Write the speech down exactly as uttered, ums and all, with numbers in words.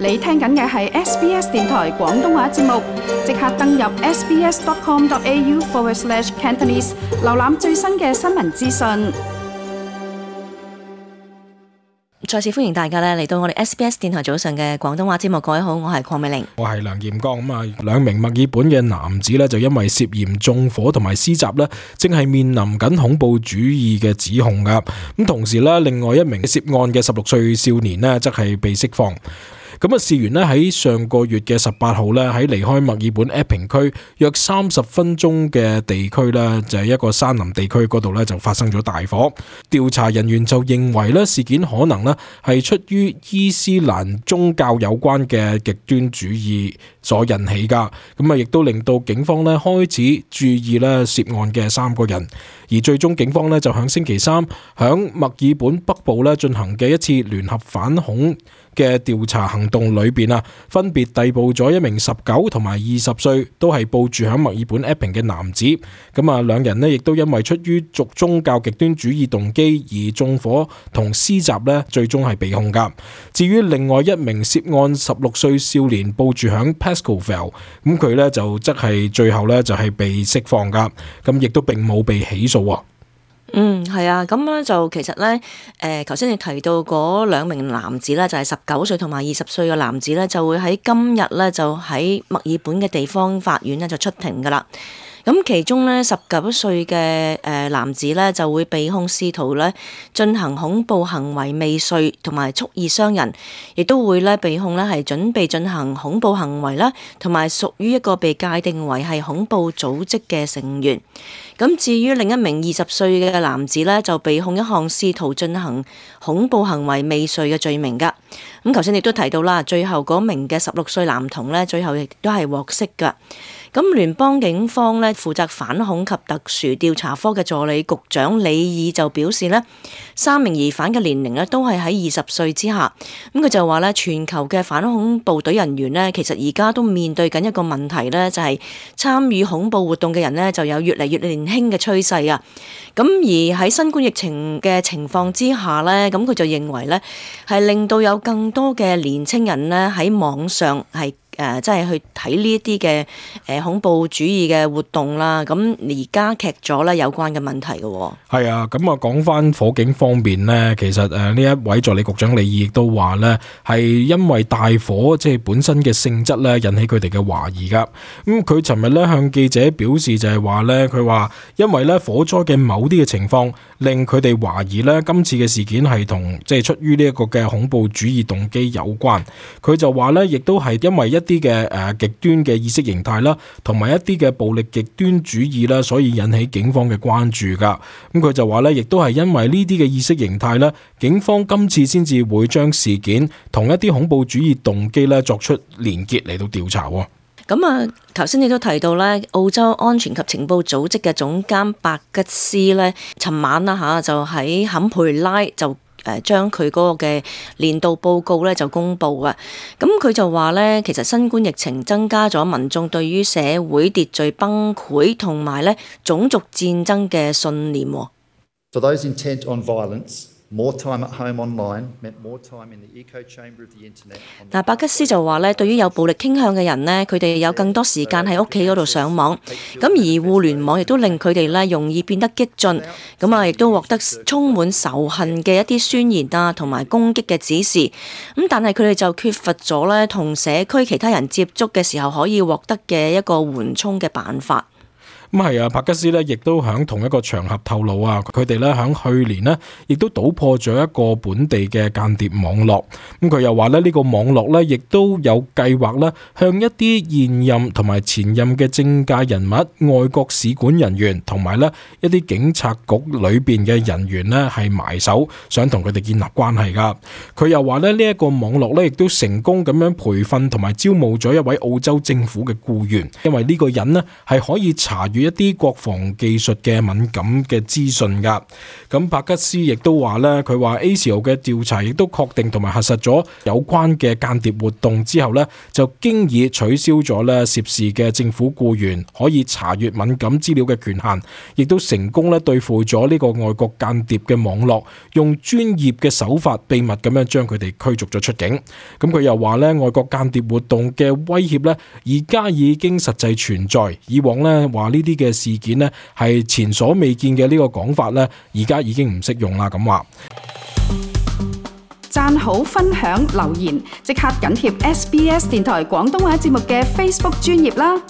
你聽緊嘅係 S B S 電台廣東話節目，即刻登入 sbs.com.au forward slash Cantonese， 瀏覽最新嘅新聞資訊。再次歡迎大家咧嚟到我哋 S B S 電台早上嘅廣東話節目。各位好，我係鄺美玲，我係梁劍剛。咁啊，兩名墨爾本嘅男子呢，就因為涉嫌縱火同埋施襲呢，正係面臨緊恐怖主義嘅指控噶。咁同時呢，另外一名涉案嘅十六歲少年呢，則係被釋放。咁啊，事源呢喺上個月嘅十八號呢，喺離開墨爾本 Epping 區約三十分鐘嘅地區呢，就係一個山林地區嗰度呢，就發生咗大火。調查人員就認為呢，事件可能呢係出於伊斯蘭宗教有關嘅極端主義所引起噶。咁啊，亦都令到警方呢開始注意呢涉案嘅三個人。而最終警方呢，就響星期三響墨爾本北部呢進行嘅一次聯合反恐嘅調查行動裏邊啊，分別逮捕咗一名十九同埋二十歲都係報住響墨爾本 Epping 嘅男子。咁啊，兩人呢亦都因為出於屬宗教極端主義動機而縱火同施襲呢，最終係被控噶。至於另外一名涉案十六歲少年報住響 Pascoe， 咁佢呢就則係最後呢就係被釋放噶，咁亦都並冇被起訴。嗯，係啊，咁咧就其實咧，誒頭先你提到嗰兩名男子咧，就係十九歲同埋二十歲嘅男子咧，就會喺今日咧就喺墨爾本嘅地方法院咧就出庭噶啦。咁其中咧十九歲嘅誒男子咧就會被控試圖咧進行恐怖行為未遂同埋蓄意傷人，亦都會咧被控咧係準備進行恐怖行為啦，同埋屬於一個被界定為係恐怖組織嘅成員。咁至於另一名二十歲嘅男子咧，就被控一項試圖進行恐怖行為未遂嘅罪名噶。咁頭先亦都提到啦，最後嗰名嘅十六歲男童咧，最後亦都係獲釋噶。咁聯邦警方咧負責反恐及特殊調查科嘅助理局長李爾就表示咧，三名疑犯嘅年齡咧都係喺二十歲之下。咁佢就話咧，全球嘅反恐部隊人員咧，其實而家都面對緊一個問題咧，就係參與恐怖活動嘅人咧就有越嚟越年輕嘅趨勢啊。咁而喺新冠疫情嘅情況之下咧，咁佢就認為咧係令到有更多嘅年輕人咧喺網上係誒，即係去睇呢一啲嘅誒恐怖主義嘅活動啦，咁而加劇咗咧有關嘅問題嘅。係啊，咁啊講翻火警方面呢，其實誒呢一位助理局長李爾亦都話呢，係因為大火即係本身嘅性質咧引起佢哋嘅懷疑噶。咁佢尋日咧向記者表示就係話呢，佢話因為咧火災嘅某啲嘅情況令佢哋懷疑呢今次嘅事件係同即係出於呢一個嘅恐怖主義動機有關。佢就話呢，亦都係因為一啲嘅誒極端嘅意識形態啦，同埋一啲嘅暴力極端主義啦，所以引起警方嘅關注噶。咁佢就話咧，亦都係因為呢啲嘅意識形態咧，警方今次先至會將事件同一啲恐怖主義動機咧作出連結嚟到調查。咁啊，頭先你都提到咧，澳洲安全及情報組織嘅總監白吉斯咧，尋晚啦嚇就喺坎培拉就誒將佢嗰個嘅年度報告咧就公布啊。咁佢就話咧，其實新冠疫情增加咗民眾對於社會秩序崩潰同埋咧種族戰爭嘅信念。For those intent on violence, more time at home online meant more time in the echo chamber of the internet. 嗱，白吉斯就話咧，對於有暴力傾向嘅人呢，佢哋有更多時間喺屋企嗰度上網，咁而互聯網亦都令佢哋咧容易變得激進，咁啊亦都獲得充滿仇恨嘅一啲宣言啊，同埋攻擊嘅指示，咁但係佢哋就缺乏咗咧同社區其他人接觸嘅時候可以獲得嘅一個緩衝嘅辦法。咁係啊，帕吉斯咧，亦都喺同一個場合透露啊，佢哋咧喺去年呢，亦都搗破咗一個本地嘅間諜網絡。咁佢又話咧，呢個網絡咧，亦都有計劃咧，向一啲現任同埋前任嘅政界人物、外國使館人員同埋咧一啲警察局裏邊嘅人員呢，係埋手，想同佢哋建立關係噶。佢又話咧，呢一個網絡咧，亦都成功咁樣培訓同埋招募咗一位澳洲政府嘅僱員，因為呢個人呢，係可以查閱一啲國防技術嘅敏感嘅資訊㗎。咁帕吉斯亦都話呢，佢話 A C O 嘅調查亦都確定同埋核實咗有關嘅間諜活動之後呢，就經已取消咗呢涉事嘅政府僱員可以查閱敏感資料嘅權限，亦都成功咧對付咗呢個外國間諜嘅網絡，用專業嘅手法秘密咁樣將佢哋驅逐咗出境。咁佢又話呢，外國間諜活動嘅威脅呢，而家已經實際存在。以往呢話呢啲嘅事件呢係前所未見嘅呢個講法呢，而家已經唔適用啦。咁話讚好、分享、留言，即刻緊貼 S B S 電台廣東話節目嘅 Facebook 專頁啦！